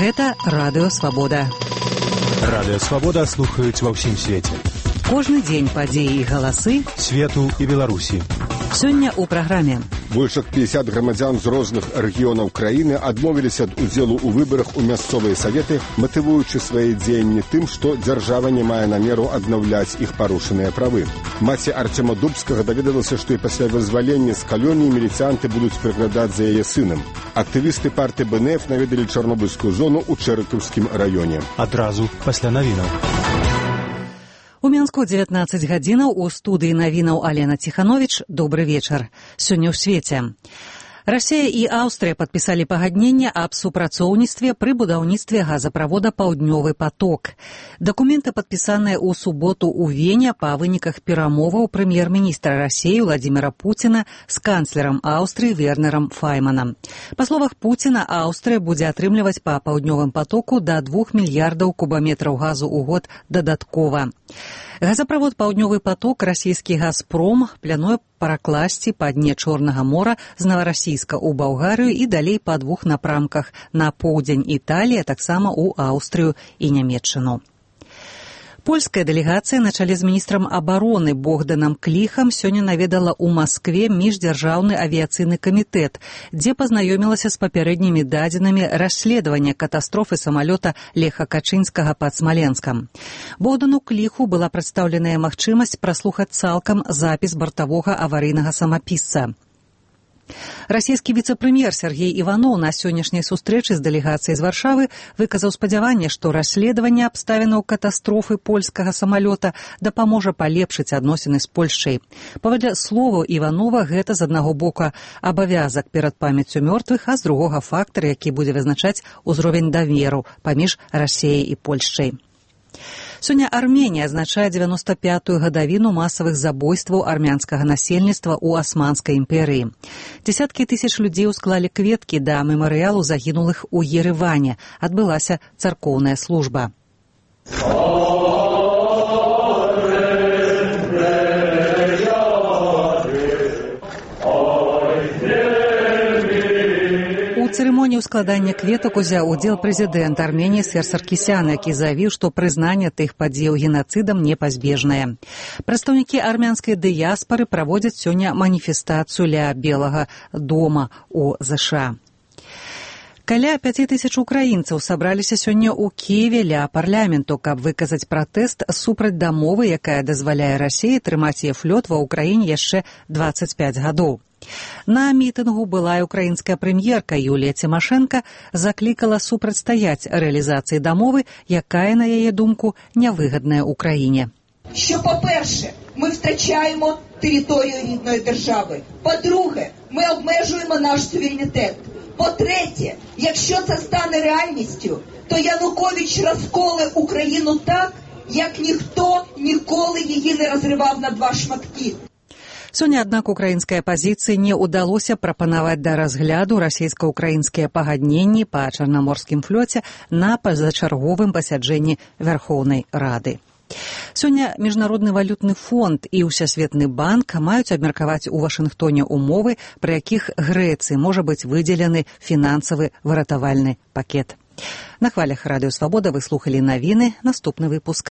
Гэта Радыё Свабода. Радыё Свабода слухаюць ва ўсім свеце. Кожны дзень падзеі і галасы свету і Беларусі. Сёння ў праграме. Больш як 50 грамадзян з розных рэгіёнаў краіны адмовіліся ад удзелу ў выбарах у мясцовыя саветы, матывуючы свае дзеянні тым, што дзяржава не мае намеру аднаўляць іх парушаныя правы. Маці Арцема Дубскага даведалася, што і пасля вызвалення з калоніі міліцыянты будуць прыглядаць за яе сынам. Актывісты партыі БНФ наведалі Чарнобыльскую зону ў Чэрыкаўскім раёне. Адразу пасля навінаў. У Мінску 19 гадзінаў у студыі навінаў Алена Ціхановіч. Добры вечар. Сёння ў свеце. Расія і Аўстрыя падпісалі пагадненне аб супрацоўніцтве пры будаўніцтве газаправода «Паўднёвы поток». Дакументы падпісаныя ў суботу ў Вене па выніках перамоваў прэм'ер-міністра Расіі Владзіміра Пуціна з канцлерам Аўстрыі Вернерам Файманам. Па словах Пуціна, Аўстрыя будзе атрымліваць па «Паўднёвым потоку» да 2 мільярдаў кубаметраў газу ў год дадаткова. Газаправод «Паўднёвы поток» расійскі «Газпром» плануе пракласці па дне Чорнага мора з Наварасійска ў Балгарыю і далей па 2 напрамках на поўдзень Італіі, а таксама ў Аўстрыю і Нямецчыну. Польская дэлегацыя на чале з міністрам абароны Богданам Кліхам сёння наведала ў Маскве міждзяржаўны авіяцыйны камітэт, дзе пазнаёмілася з папярэднімі дадзенымі расследавання катастрофы самалёта Леха Качынскага пад Смаленскам. Богдану Кліху была прадстаўленая магчымасць праслухаць цалкам запіс бартавога аварыйнага самапісца. Расійскі віцэ-прэм'ер Сергей Іваноў на сённяшняй сустрэчы з дэлегацыяй з Варшавы выказаў спадзяванне, што расследаванне абставінаў катастрофы польскага самалёта дапаможа палепшыць адносіны з Польшчай. Паводле словаў Іванова, гэта з аднаго боку абавязак перад памяццю мёртвых, а з другога фактар, які будзе вызначаць узровень даверу паміж Расіяй і Польшчай. Сёння Арменія адзначае 95-ю гадавіну масавых забойстваў армянскага насельніцтва ў Асманскай імперыі. Дзесяткі тысяч людзей усклалі кветкі да мемарыялу загінулых у Ерэване. Адбылася царкоўная служба. У цырымоніі складання кветак узяў удзел прэзідэнт Арменіі Сер Саркісян, які заявіў, што прызнанне тых падзеяў генацыдам непазбежнае. Прадстаўнікі армянскай дыяспары праводзяць сёння маніфестацыю ля Белага дома ў ЗША. Каля 5000 украінцаў сабраліся сёння ў Кіеве ля парламенту, каб выказаць пратэст супраць дамовы, якая дазваляе Расіі трымаць яе флот ва ўкраіне яшчэ 25 гадоў. На мітынгу былая украінская прэм'ерка Юлія Цімашэнка заклікала супрацьстаяць рэалізацыі дамовы, якая, на яе думку, нявигідна Україні. Що, по-перше, ми втрачаємо територію рідної держави. По-друге, ми обмежуємо наш суверенітет. По-третє, якщо це стане реальністю, то Янукович розколе Україну так, як ніхто ніколи її не розривав на 2 шматки. Сёння, аднак, украінскай апазіцыі не ўдалося прапанаваць да разгляду расійска-украінскія пагадненні па Чарнаморскім флоце на пазачарговым пасяджэнні Вярхоўнай Рады. Сёння Міжнародны валютны фонд і Ўсесветны банк маюць абмеркаваць у Вашынгтоне умовы, пры якіх Грэцыі можа быць выдзелены фінансавы выратавальны пакет. На хвалях Радыё Свабода вы слухалі навіны. Наступны выпуск